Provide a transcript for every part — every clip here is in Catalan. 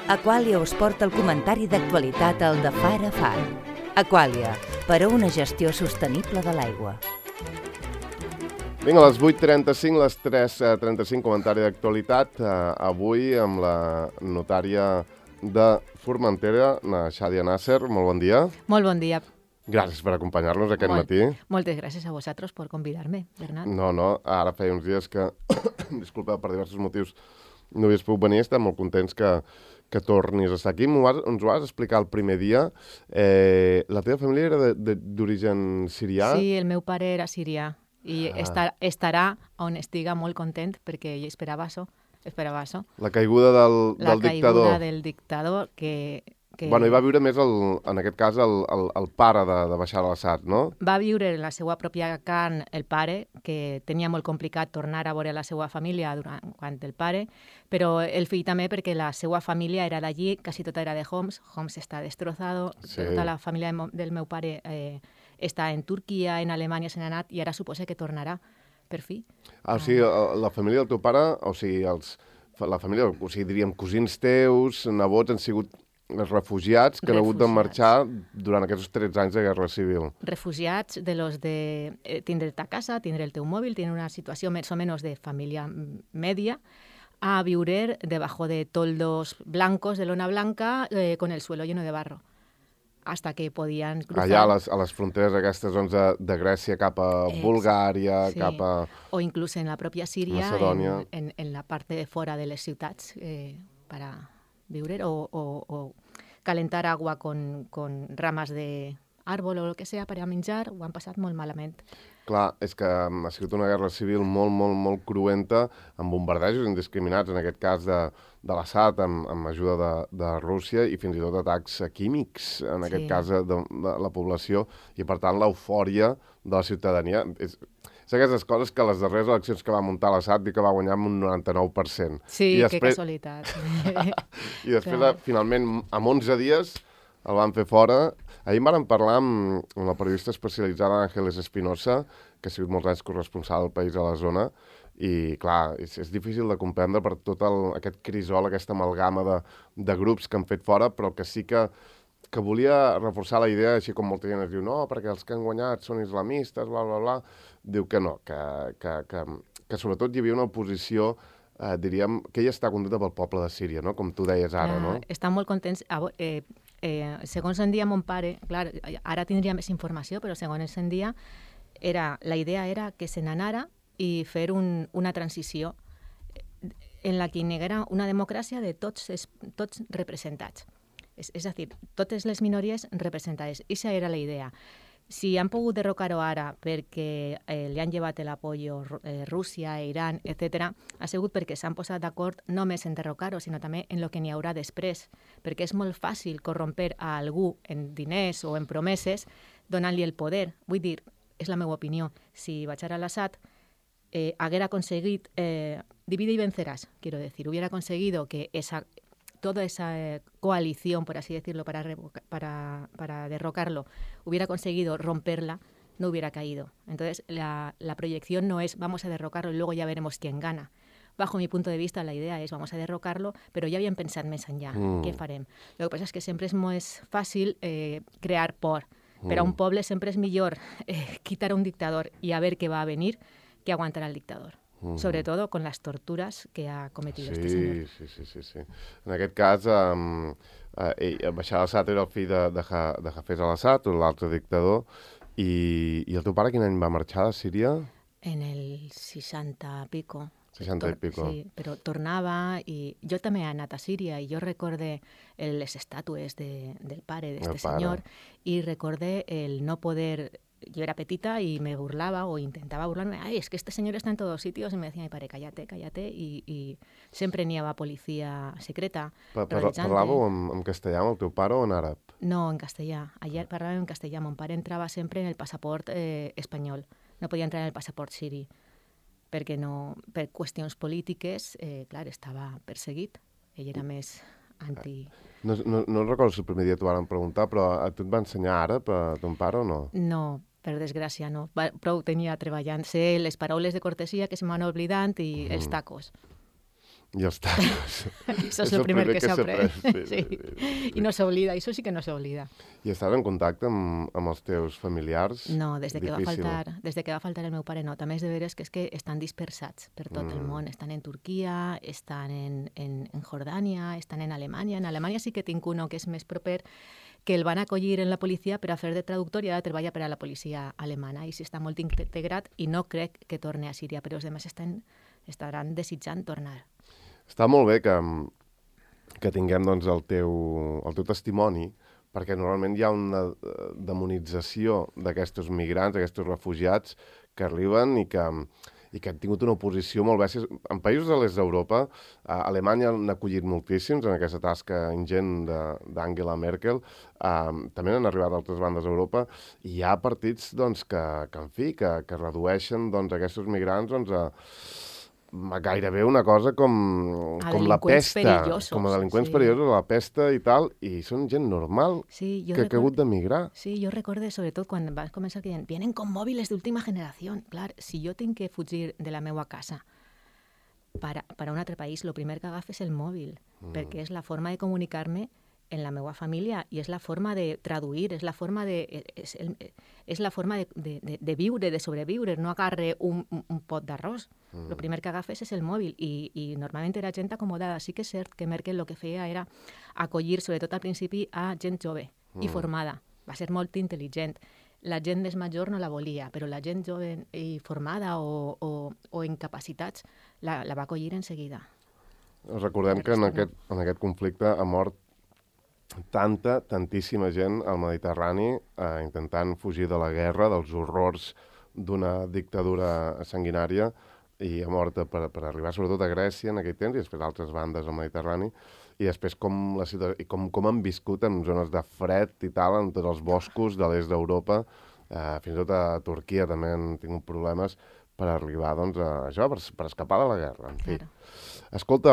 Aquàlia us porta el comentari d'actualitat al de Far a Far. Aquàlia, per a una gestió sostenible de l'aigua. Vinga, a les 8:35, les 3:35, comentari d'actualitat. Avui amb la notària de Formentera, la Xadia Nasser. Molt bon dia. Molt bon dia. Gràcies per acompanyar-nos aquest matí. Moltes gràcies a vosaltres per convidar-me, Bernat. No, ara feia uns dies que, disculpa, per diversos motius no havies pogut venir. Estem molt contents que tornis a estar aquí. Ens ho vas explicar el primer dia. La teva família era d'origen sirià? Sí, el meu pare era sirià i estarà on estiga molt content perquè ell esperava això. La caiguda del dictador. La caiguda del dictador que... Bueno, hi va viure més, en aquest cas, el pare de Bashar al-Assad, no? Va viure en la seva pròpia carn el pare, que tenia molt complicat tornar a veure la seva família quan el pare, però el fill també perquè la seva família era d'allí, quasi tota era de Homs. Homs està destrossado, sí. Tota la família del meu pare està en Turquia, en Alemanya se n'ha anat i ara suposa que tornarà, per fi. O sigui, la família del teu pare, o sigui, la família, o sigui, diríem, cosins teus, nebots, han sigut els refugiats que han hagut de marxar durant aquests 13 anys de guerra civil. Refugiats de los de tindre ta casa, tindre el teu mòbil, tindre una situació més o menys de família media, a viure debajo de toldos blancos, de lona blanca, con el suelo lleno de barro. Hasta que podien cruzar... Allà a les fronteres aquestes de Grècia cap a Bulgària, sí. Cap a... O inclús en la pròpia Síria, en la part de fora de les ciutats, per a viure o calentar agua con ramas de árbol o el que sea per a menjar, ho han passat molt malament. Clar, és que ha sigut una guerra civil molt cruenta, amb bombardejos indiscriminats, en aquest cas de l'Assad, amb ajuda de Rússia, i fins i tot atacs químics, en aquest cas de la població, i per tant l'eufòria de la ciutadania. És aquestes coses que les darreres eleccions que va muntar l'Assad i que va guanyar amb un 99%. Sí, que casualitat. I després, finalment, en 11 dies, el van fer fora. Ahir en vàrem parlar amb la periodista especialitzada Ángeles Espinosa, que ha sigut molts anys corresponsal del País a la zona, i, clar, és difícil de comprendre per tot aquest crisol, aquesta amalgama de grups que han fet fora, però que sí que volia reforçar la idea, així com molta gent es diu no, perquè els que han guanyat són islamistes, bla, bla, bla. Diu que no, que sobretot hi havia una oposició, diríem, que ella està contenta pel poble de Síria, no? Com tu deies ara, no? Estan molt contents. Segons en dia mon pare, clar, ara tindria més informació, però segons en dia la idea era que se n'anara i fer una transició en la que hi haguera una democràcia de tots representats. És a dir, totes les minories representades. Aquesta era la idea. Si han pogut derrocar-ho ara perquè li han llevat l'apoyo Rússia, Iran, etc., ha sigut perquè s'han posat d'acord no només en derrocar-ho, sinó també en el que n'hi haurà després, perquè és molt fàcil corromper a algú en diners o en promeses donant-li el poder. Vull dir, és la meva opinió, si Bashar al-Assad haguera conseguit divide y vencerás, quiero decir, hubiera conseguido que toda esa coalición, por así decirlo, para derrocarlo, hubiera conseguido romperla, no hubiera caído. Entonces, la proyección no es vamos a derrocarlo y luego ya veremos quién gana. Bajo mi punto de vista, la idea és vamos a derrocarlo, però ja havíem pensat més enllà. Què farem? Lo que passa és que sempre és més fàcil crear por. Per a un poble sempre és millor quitar a un dictador i a ver què va a venir que aguantar al dictador. Sobre todo con las torturas que ha cometido este señor. Sí. En aquest cas, Bashar al-Assad era el fill de Hafez al-Assad, l'altre dictador, i el teu pare quin any va marxar de Síria? En el 60 pico. 60 i pico. Sí, però tornava i jo també he anat a Síria i jo recorde les estàtues del pare d'este senyor i recorde el no poder... Yo era petita y me burlaba o intentaba burlarme. Ay, es que este señor está en todos sitios. Y me decía, mi padre, cállate. Y siempre n'hi havia policia secreta. Parlàveu en castellà amb el teu pare o en àrab? No, en castellà. Ayer parlàvem en castellà. Mon pare entrava sempre en el passaport espanyol. No podia entrar en el passaport siri. Perquè no, per qüestions polítiques, clar, estava perseguit. Ell era més anti... No recordo si el primer dia t'ho van preguntar, però a tu et va ensenyar àrab a ton pare o no? No, per desgràcia no. Prou tenia treballant. Sé les paraules de cortesia que se m'han oblidat i els tacos. I els tacos. Això és el primer que s'ha après. Sí. I no s'oblida, això sí que no s'oblida. I estàs en contacte amb els teus familiars? No, des de que va faltar el meu pare no. També és de veres que estan dispersats per tot el món. Estan en Turquia, estan en Jordània, estan en Alemanya. En Alemanya sí que tinc uno que és més proper, que el van acollir en la policia per a fer de traductor i ara treballa per a la policia alemana i sí està molt integrat i no crec que torni a Síria, però els demés estaran desitjant tornar. Està molt bé que tinguem doncs, el teu testimoni, perquè normalment hi ha una demonització d'aquests migrants, d'aquests refugiats que arriben i que han tingut una oposició molt bèstia. En països de l'est d'Europa, Alemanya n'ha acollit moltíssims en aquesta tasca ingent d'Angela Merkel, també n'han arribat a altres bandes d'Europa, i hi ha partits doncs, que redueixen doncs, aquests migrants doncs, a gairebé una cosa com la pesta, com a delinqüents perillosos, la pesta i tal, i són gent normal que ha hagut d'emigrar. Sí, jo recordo, sobretot, quan vas començar que deien vienen con móviles d'última generació. Clar, si jo tinc que fugir de la meva casa per a un altre país, el primer que agafo és el mòbil, perquè és la forma de comunicar-me en la meva família i és la forma de traduir, és la forma de viure, de sobreviure, no agarre un pot d'arròs. El primer que agafes és el mòbil i normalment era gent acomodada. Sí que és cert que Merkel el que feia era acollir, sobretot al principi, a gent jove i formada. Va ser molt intel·ligent. La gent més major no la volia, però la gent jove i formada o incapacitats la va acollir en seguida. Recordem que en aquest conflicte ha mort tantíssima gent al Mediterrani intentant fugir de la guerra, dels horrors d'una dictadura sanguinària, i ha mort per arribar sobretot a Grècia en aquell temps i després a altres bandes al Mediterrani, i després com han viscut en zones de fred i tal, en tots els boscos de l'est d'Europa, fins i tot a Turquia també han tingut problemes per arribar doncs, a això, per escapar de la guerra. En fi. Escolta,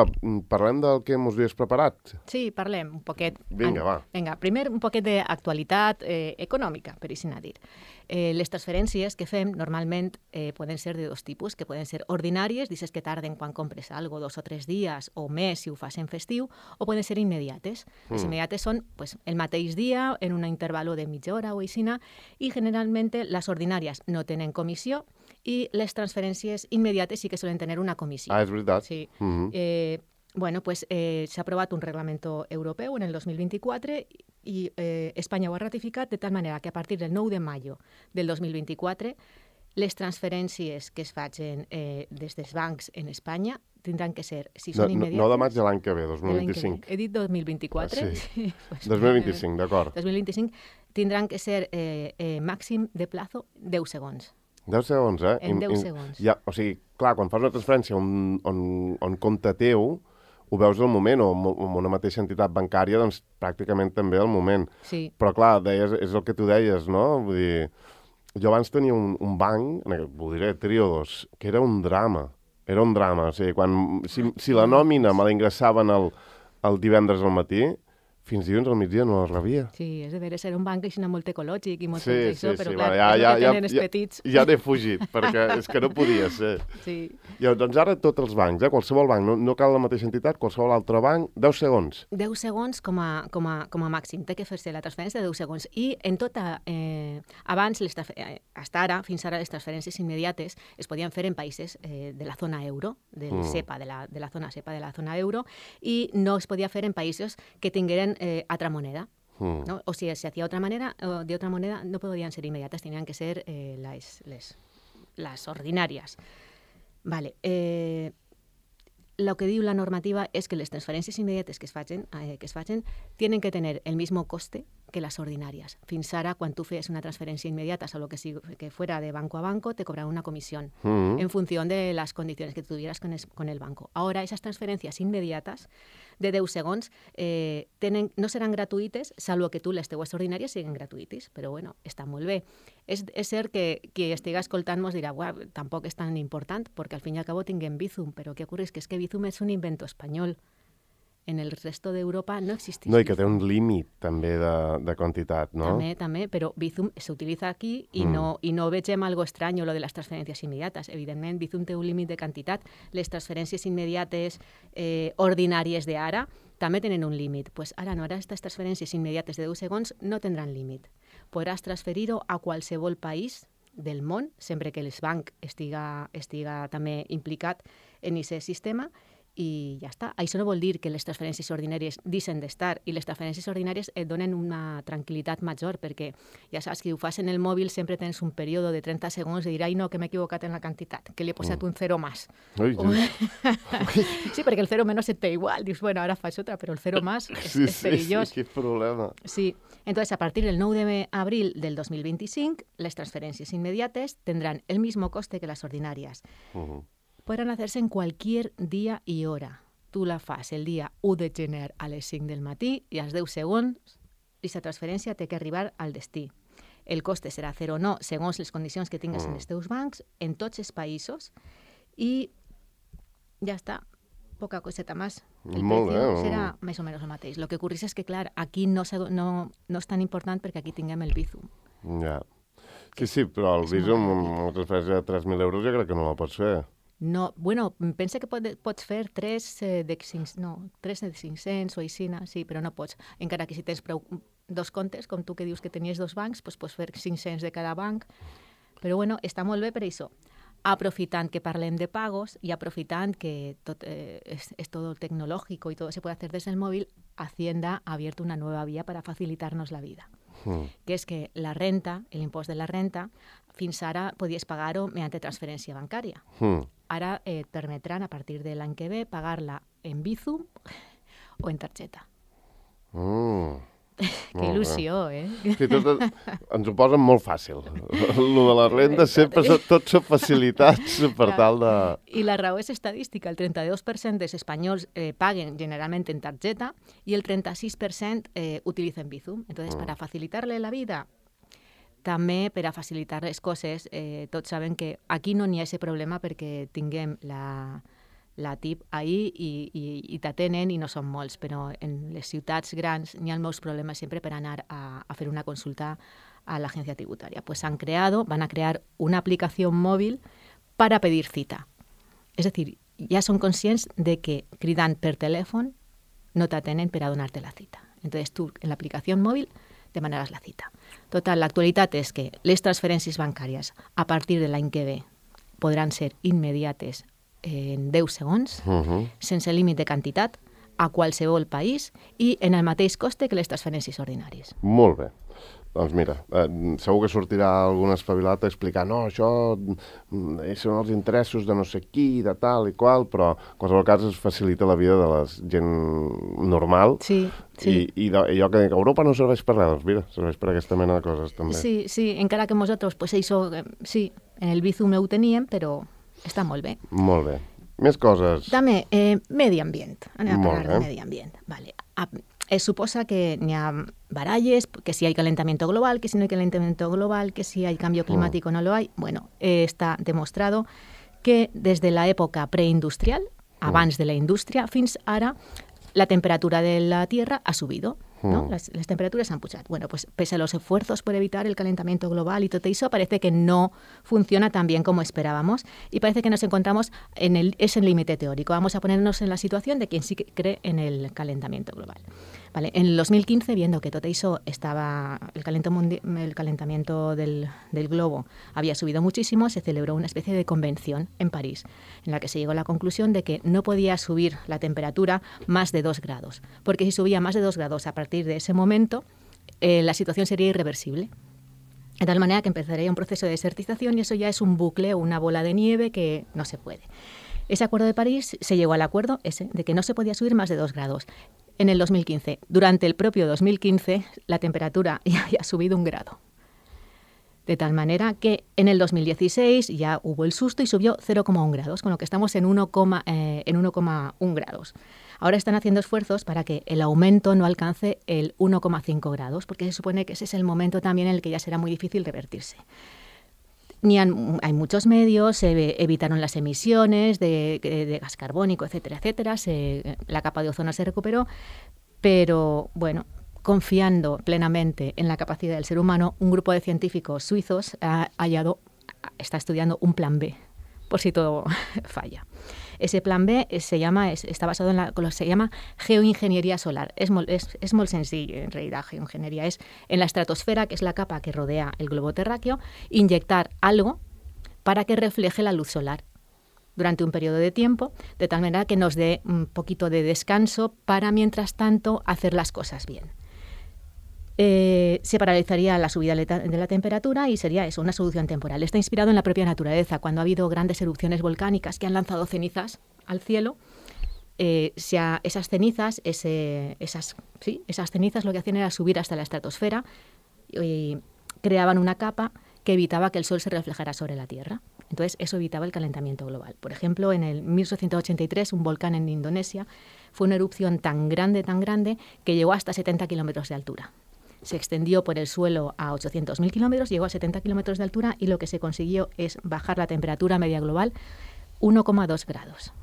parlem del que ens havies preparat? Sí, parlem un poquet. Vinga, va. Vinga, primer un poquet d'actualitat econòmica, per així dir. Les transferències que fem normalment poden ser de dos tipus, que poden ser ordinàries, dices que tarden quan compres algo 2 o 3 dies o més si ho fas en festiu, o poden ser immediates. Les immediates són el mateix dia, en un intervalo de mitja hora o aixina, i generalment les ordinàries no tenen comissió i les transferències immediates sí que solen tenir una comissió. Ah, és veritat. Sí. S'ha aprovat un reglamento europeu en el 2024 i Espanya ho ha ratificat de tal manera que a partir del 9 de maio del 2024 les transferències que es facin des dels bancs en Espanya tindran que ser, si són immediates... 9 de maig de l'any que ve, 2025. He dit 2024? Sí. 2025, d'acord. 2025 tindran que ser màxim de plazo 10 segons. 10 segons, eh? En 10 segons. O sigui, clar, quan fas una transferència on compte teu, ho veus al moment, o en una mateixa entitat bancària, doncs pràcticament també al moment. Sí. Però clar, és el que tu deies, no? Vull dir, jo abans tenia un banc, ho diré, Triodos, que era un drama. Era un drama. O sigui, si la nòmina me la ingressaven el divendres al matí, fins dilluns al migdia no la rebia. Sí, és de veres, era un banc així molt ecològic i molt això, però clar, tenen els petits. Ja n'he fugit, perquè és que no podia ser. Sí. I doncs ara tots els bancs, qualsevol banc, no cal la mateixa entitat, qualsevol altre banc, 10 segons. 10 segons com a màxim, té que fer-se la transferència de 10 segons. I en tota, abans, fins ara, les transferències immediates es podien fer en països de la zona euro, del SEPA, de la zona SEPA, de la zona euro, i no es podia fer en països que tingueren otra moneda. ¿no? O si se hacía de otra moneda, no podían ser inmediatas, tenían que ser las ordinarias. Vale. Lo que diu la normativa es que las transferències immediates que es facin tienen que tener el mismo coste que las ordinarias. Fins ara, quan tu feies una transferència inmediata, o lo que fuera de banco a banco, te cobraban una comisión en función de las condiciones que tuvieras con el banco. Ahora, esas transferències inmediates de 10 segons no seran gratuïtes, salvo que tu les teues ordinàries siguin gratuïtes, però bueno, està molt bé. És cert que qui estigui escoltant mos dirà, tampoc és tan important, perquè al fin i al cabo tinguem Bizum, però què ocorre és que Bizum és un invento espanyol. En el resto d'Europa no existeix. No, i que té un límit també de quantitat, no? També, però Bizum s'utilitza aquí i no vegem algo estrany, lo de les transferències immediates. Evidentment, Bizum té un límit de quantitat. Les transferències immediates ordinàries d'ara també tenen un límit. Pues ara no, ara aquestes transferències immediates de 10 segons no tindran límit. Podràs transferir-ho a qualsevol país del món, sempre que el banc estiga també implicat en aquest sistema, i ja està. Això no vol dir que les transferències ordinàries deixen d'estar, i les transferències ordinàries et donen una tranquil·litat major, perquè ja saps que ho fas en el mòbil, sempre tens un període de 30 segons de dir, ai no, que m'he equivocat en la quantitat, que li he posat un 0 més. Sí, perquè el 0 menys et té igual. Dius, bueno, ara faig otra, però el 0 més és perillós. Sí, quin problema. Sí, entonces a partir del 9 de abril del 2025, les transferències immediates tendrán el mismo coste que las ordinarias. Podran hacerse en cualquier día y hora. Tu la fas el dia 1 de gener a les 5 del matí i als 10 segons aquesta transferència té que arribar al destí. El coste serà 0 o no, segons les condicions que tingues en els teus bancs, en tots els països, i ja està, poca coseta més. El precio serà més o menys el mateix. Lo que ocorreix és que, clar, aquí no és tan important perquè aquí tinguem el Bizum. Ja. Sí, però el Bizum, amb una transferència de 3.000 euros, jo crec que no la pots fer. No, bueno, pensa que pots fer 3 de 500 o així, sí, però no pots. Encara que si tens dos comptes, com tu que dius que tenies dos bancs, doncs pots fer 500 de cada banc. Però bueno, està molt bé per això. Aprofitant que parlem de pagos y aprofitant que tot, es todo tecnológico y todo se puede hacer desde el móvil, Hacienda ha abierto una nueva vía para facilitarnos la vida. Que és que la renta, l'impost de la renta, fins ara podies pagar-ho mediante transferència bancària. Ara et permetran, a partir de l'any que ve, pagar-la en Bizum o en targeta. Que il·lusió, Sí, ens ho posen molt fàcil. Lo de la renta sempre tot són facilitats per tal de... I la raó és estadística. El 32% dels espanyols paguen generalment en targeta i el 36% utilitzen Bizum. Entonces, para facilitarle la vida, també per a facilitar les coses, tots saben que aquí no n'hi ha aquest problema perquè tinguem la TIP ahí i t'atenen i no són molts, però en les ciutats grans n'hi ha molts problemes sempre per anar a fer una consulta a l'agència tributària. Pues van a crear una aplicación móvil para pedir cita. Es decir, ja són conscients de que cridant per telèfon no t'atenen per a donar-te la cita. Entonces tu en l'aplicació mòbil demanaràs la cita. Total, l'actualitat és que les transferències bancàries a partir de l'any que ve podran ser immediates en 10 segons, sense límit de quantitat, a qualsevol país i en el mateix coste que les transferències ordinàries. Molt bé. Doncs mira, segur que sortirà algun espavilat a explicar no, això són els interessos de no sé qui, de tal i qual, però en qualsevol cas es facilita la vida de la gent normal. Sí. I allò que Europa no serveix per res, doncs mira, serveix per aquesta mena de coses també. Sí, encara que nosaltres, pues això, sí, en el Bizum ho teníem, però està molt bé. Molt bé. Més coses. També, medi ambient. Anem a parlar de medi ambient. Vale. Es suposa que n'hi ha baralles, que si hay calentamiento global, que si no hay calentamiento global, que si hay cambio climático no lo hay. Bueno, está demostrado que desde la época preindustrial, abans de la indústria, fins ara, la temperatura de la Tierra ha subido. ¿no? Las temperaturas han pujat. Bueno, pues pese a los esfuerzos por evitar el calentamiento global y todo eso, parece que no funciona tan bien como esperábamos y parece que nos encontramos en ese límite teórico. Vamos a ponernos en la situación de quien sí que cree en el calentamiento global. Vale, en el 2015, viendo que todo eso estaba, el calentamiento del globo había subido muchísimo, se celebró una especie de convención en París, en la que se llegó a la conclusión de que no podía subir la temperatura más de 2 grados, porque si subía más de 2 grados a partir de ese momento, la situación sería irreversible. De tal manera que empezaría un proceso de desertización y eso ya es un bucle o una bola de nieve que no se puede. Ese acuerdo de París se llegó al acuerdo ese de que no se podía subir más de 2 grados. En el 2015, durante el propio 2015, la temperatura ya había subido 1 grado. De tal manera que en el 2016 ya hubo el susto y subió 0,1 grados, con lo que estamos en 1,1 grados. Ahora están haciendo esfuerzos para que el aumento no alcance el 1,5 grados, porque se supone que ese es el momento también en el que ya será muy difícil revertirse. hay muchos medios, se evitaron las emisiones de gas carbónico, etcétera, etcétera. La capa de ozono se recuperó, pero bueno, confiando plenamente en la capacidad del ser humano, un grupo de científicos suizos está estudiando un plan B, por si todo falla. Ese plan B está basado en lo que se llama geoingeniería solar. Es muy sencillo, en realidad, geoingeniería. Es en la estratosfera, que es la capa que rodea el globo terráqueo, inyectar algo para que refleje la luz solar durante un periodo de tiempo, de tal manera que nos dé un poquito de descanso para, mientras tanto, hacer las cosas bien. Se paralizaría la subida de la temperatura y sería eso, una solución temporal. Está inspirado en la propia naturaleza. Cuando ha habido grandes erupciones volcánicas que han lanzado cenizas al cielo, esas cenizas lo que hacían era subir hasta la estratosfera y creaban una capa que evitaba que el sol se reflejara sobre la Tierra. Entonces, eso evitaba el calentamiento global. Por ejemplo, en el 1883, un volcán en Indonesia fue una erupción tan grande, que llegó hasta 70 kilómetros de altura. Se extendió por el suelo a 800.000 kilómetros, llegó a 70 kilómetros de altura y lo que se consiguió es bajar la temperatura media global 1,2 grados.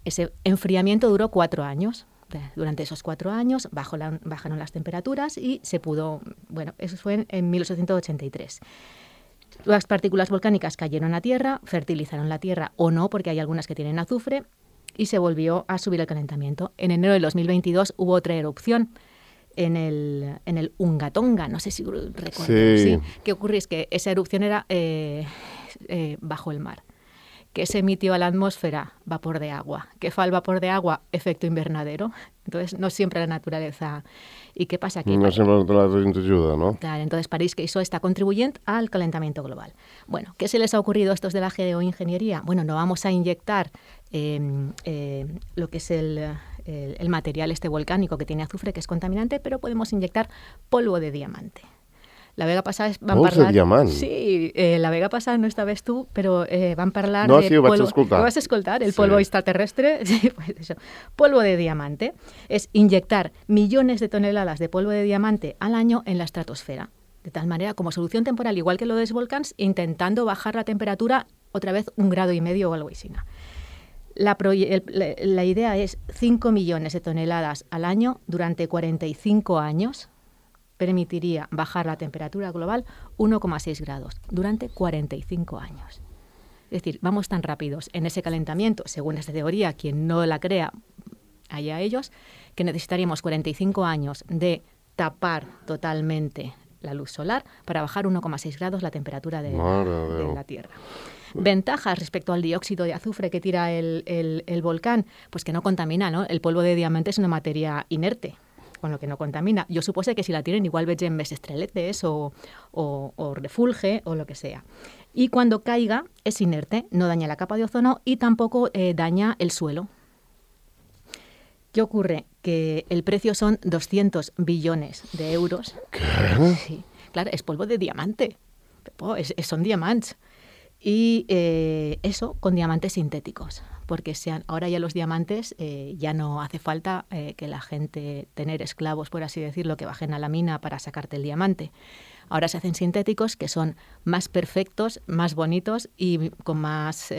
Ese enfriamiento duró 4 años. Durante esos 4 años bajaron las temperaturas y se pudo... Bueno, eso fue en 1883. Las partículas volcánicas cayeron a tierra, fertilizaron la tierra o no, porque hay algunas que tienen azufre, y se volvió a subir el calentamiento. En enero del 2022 hubo otra erupción en el Unga Tonga, no sé si recuerdo. Sí. ¿Qué ocurre? Es que esa erupción era bajo el mar. ¿Qué se emitió a la atmósfera? Vapor de agua. ¿Qué fue el vapor de agua? Efecto invernadero. Entonces, no siempre la naturaleza... ¿Y qué pasa aquí? No siempre la naturaleza ens ajuda, no? Claro, entonces pareix que això està contribuyent al calentamiento global. Bueno, ¿qué se les ha ocurrido a estos de la geoingeniería? Bueno, no vamos a inyectar lo que es el material volcánico que tiene azufre, que es contaminante, pero podemos inyectar polvo de diamante. La vega passada van parlar... de diamant? Sí, la vega passada no estaves tu, però van parlar de... No, sí, ho vaig escoltar. Ho vas escoltar? El polvo extraterrestre. Sí, pues eso. Polvo de diamante es inyectar millones de toneladas de polvo de diamante al año en la estratosfera. De tal manera, como solución temporal, igual que lo de los volcanes, intentando bajar la temperatura otra vez 1,5 grados o algo así. La idea es 5 millones de toneladas al año durante 45 años. Permitiría bajar la temperatura global 1,6 grados durante 45 años. Es decir, vamos tan rápidos en ese calentamiento, según esta teoría, quien no la crea, allá ellos, que necesitaríamos 45 años de tapar totalmente la luz solar para bajar 1,6 grados la temperatura de la Tierra. Ventajas respecto al dióxido de azufre que tira el volcán, pues que no contamina, ¿no? El polvo de diamante es una materia inerte, con lo que no contamina. Jo suposo que si la tiren igual vegem més estreletes o refulge o lo que sea. Y cuando caiga es inerte, no daña la capa de ozono y tampoco daña el suelo. ¿Qué ocurre? Que el precio son 200 billones de euros. ¿Qué? Sí, claro, es polvo de diamante. Son diamants. Y eso con diamantes sintéticos, porque ahora ya los diamantes ya no hace falta que la gente, tener esclavos, por así decirlo, que bajen a la mina para sacarte el diamante. Ahora se hacen sintéticos que son más perfectos, más bonitos y con más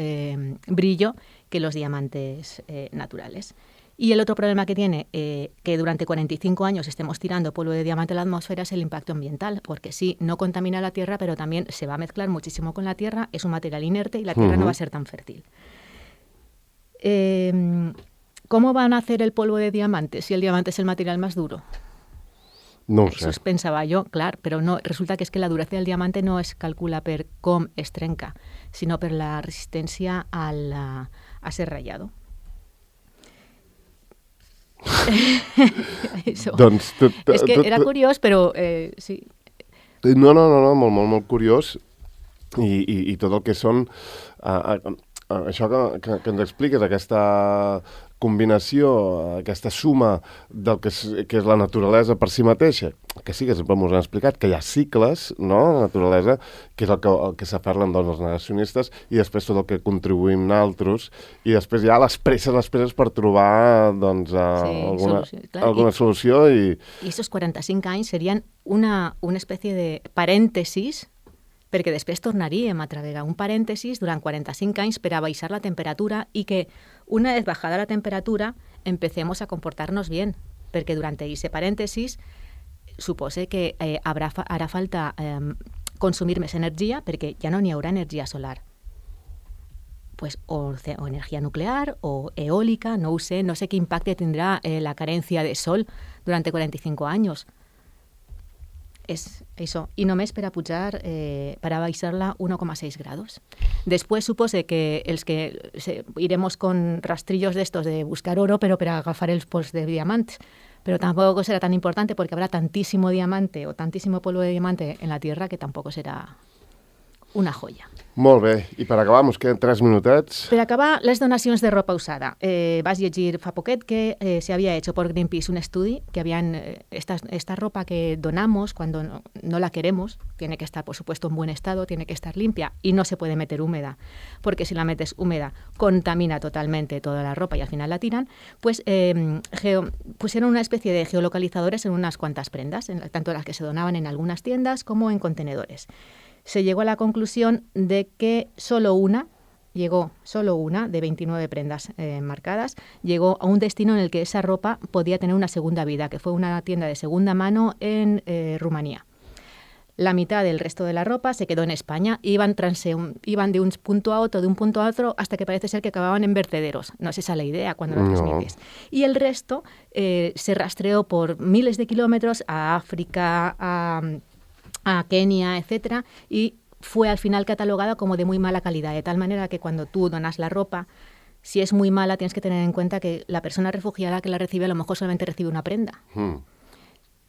brillo que los diamantes naturales. Y el otro problema que tiene, que durante 45 años estemos tirando polvo de diamante a la atmósfera, es el impacto ambiental, porque sí, no contamina la Tierra, pero también se va a mezclar muchísimo con la Tierra, es un material inerte y la Tierra no va a ser tan fértil. ¿Cómo van a hacer el polvo de diamante si el diamante es el material más duro? No ho sé. Això pensava jo, clar, però no, resulta que és que la duresa del diamante no es calcula per com es trenca, sinó per la resistència a ser ratllado. Doncs, és que era curiós, però sí. No, molt curiós. I tot el que són... això que ens expliques, aquesta combinació, aquesta suma del que és la naturalesa per si mateixa, que sí que sempre ens han explicat, que hi ha cicles, no?, la naturalesa, que és el que s'aferren doncs, els negacionistes, i després tot el que contribuïm nosaltres, i després hi ha les presses per trobar doncs, alguna solució. I esos 45 anys serien una espècie de parèntesis perquè després tornaríem a treballar un parèntesis durant 45 anys per a baixar la temperatura i que una vez bajada la temperatura empecemos a comportarnos bien, perquè durant aquest parèntesis supose que harà falta consumir més energia perquè ja no n'hi haurà energia solar. Pues, o energia nuclear o eólica, no ho sé, no sé qué impacto tendrá la carencia de sol durante 45 años. És això. I només per a pujar, per a baixar-la 1,6 grados. Després supose que els que iremos con rastrillos de estos de buscar oro, pero para agafar els pols de diamantes. Pero tampoco será tan importante porque habrá tantísimo diamante o tantísimo polvo de diamante en la Tierra que tampoco será una joia. Molt bé. I per acabar, ens queden 3 minutets. Per acabar, les donacions de ropa usada. Vas llegir fa poquet que se había hecho por Greenpeace un estudi que habían esta ropa que donamos cuando no la queremos, tiene que estar, por supuesto, en buen estado, tiene que estar limpia y no se puede meter húmeda, porque si la metes húmeda contamina totalmente toda la ropa y al final la tiran, pues pusieron una especie de geolocalizadores en unas cuantas prendas, tanto las que se donaban en algunas tiendas como en contenedores. Se llegó a la conclusión de que solo una de 29 prendas marcadas, llegó a un destino en el que esa ropa podía tener una segunda vida, que fue una tienda de segunda mano en Rumanía. La mitad del resto de la ropa se quedó en España, iban de un punto a otro, hasta que parece ser que acababan en vertederos. No es esa la idea cuando lo transmites. Y el resto se rastreó por miles de kilómetros a África, a Kenia, etcétera, y fue al final catalogada como de muy mala calidad, de tal manera que cuando tú donas la ropa, si es muy mala, tienes que tener en cuenta que la persona refugiada que la recibe a lo mejor solamente recibe una prenda.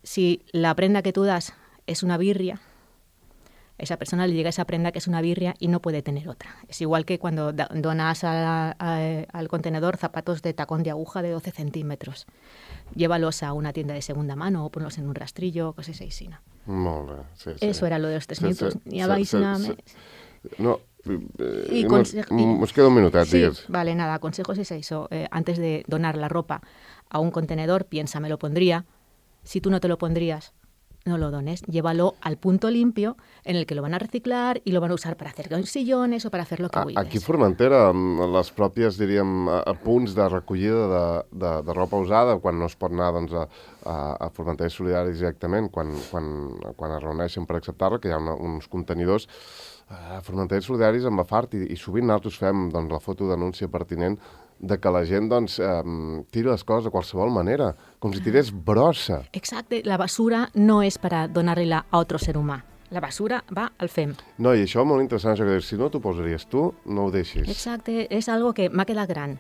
Si la prenda que tú das es una birria, a esa persona le llega esa prenda que es una birria y no puede tener otra. Es igual que cuando donas al contenedor zapatos de tacón de aguja de 12 centímetros. Llévalos a una tienda de segunda mano o ponlos en un rastrillo, cosas así, ¿no? Molt bé, sí. Eso era lo de los 3 minutos. Ni a nada más. No, nos queda un minutet, sí, digues. Vale, nada, consejos es eso. Antes de donar la ropa a un contenedor, piensa, me lo pondría. Si tú no te lo pondrías, no lo dones. Llévalo al punto limpio en el que lo van a reciclar i lo van a usar per hacer sillones o per hacer lo que vulguis. Aquí a Formentera, les pròpies, diríem, punts de recollida de ropa usada, quan no es pot anar doncs, a Formentera Solidaris directament, quan es reuneixen per acceptar-la, que hi ha uns contenidors, a Formentera Solidaris en va fart i sovint nosaltres fem doncs, la fotodenúncia pertinent de que la gent doncs, tiri les coses de qualsevol manera, com si tirés brossa. Exacte, la basura no és per a donar-la a otro ser humà. La basura va al FEM. No, i això és molt interessant, això que dius, si no t'ho posaries tu, no ho deixis. Exacte, és algo que m'ha quedat gran.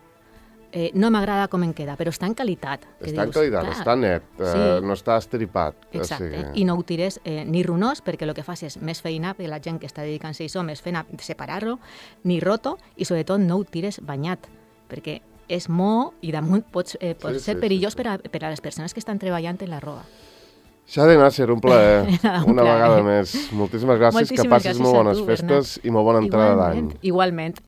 No m'agrada com em queda, però està en qualitat. Està en qualitat, està net, no està estripat. Exacte, i no ho tires ni runós, perquè el que fas és més feina, perquè la gent que està dedicant-se a això, més feina separar-lo, ni roto, i sobretot no ho tires banyat, perquè és mo i damunt pot ser perillós per a les persones que estan treballant en la roba. Xade Nasser, un plaer. Una vegada més. Moltíssimes gràcies, que passis molt bones festes i molt bona entrada d'any. Igualment.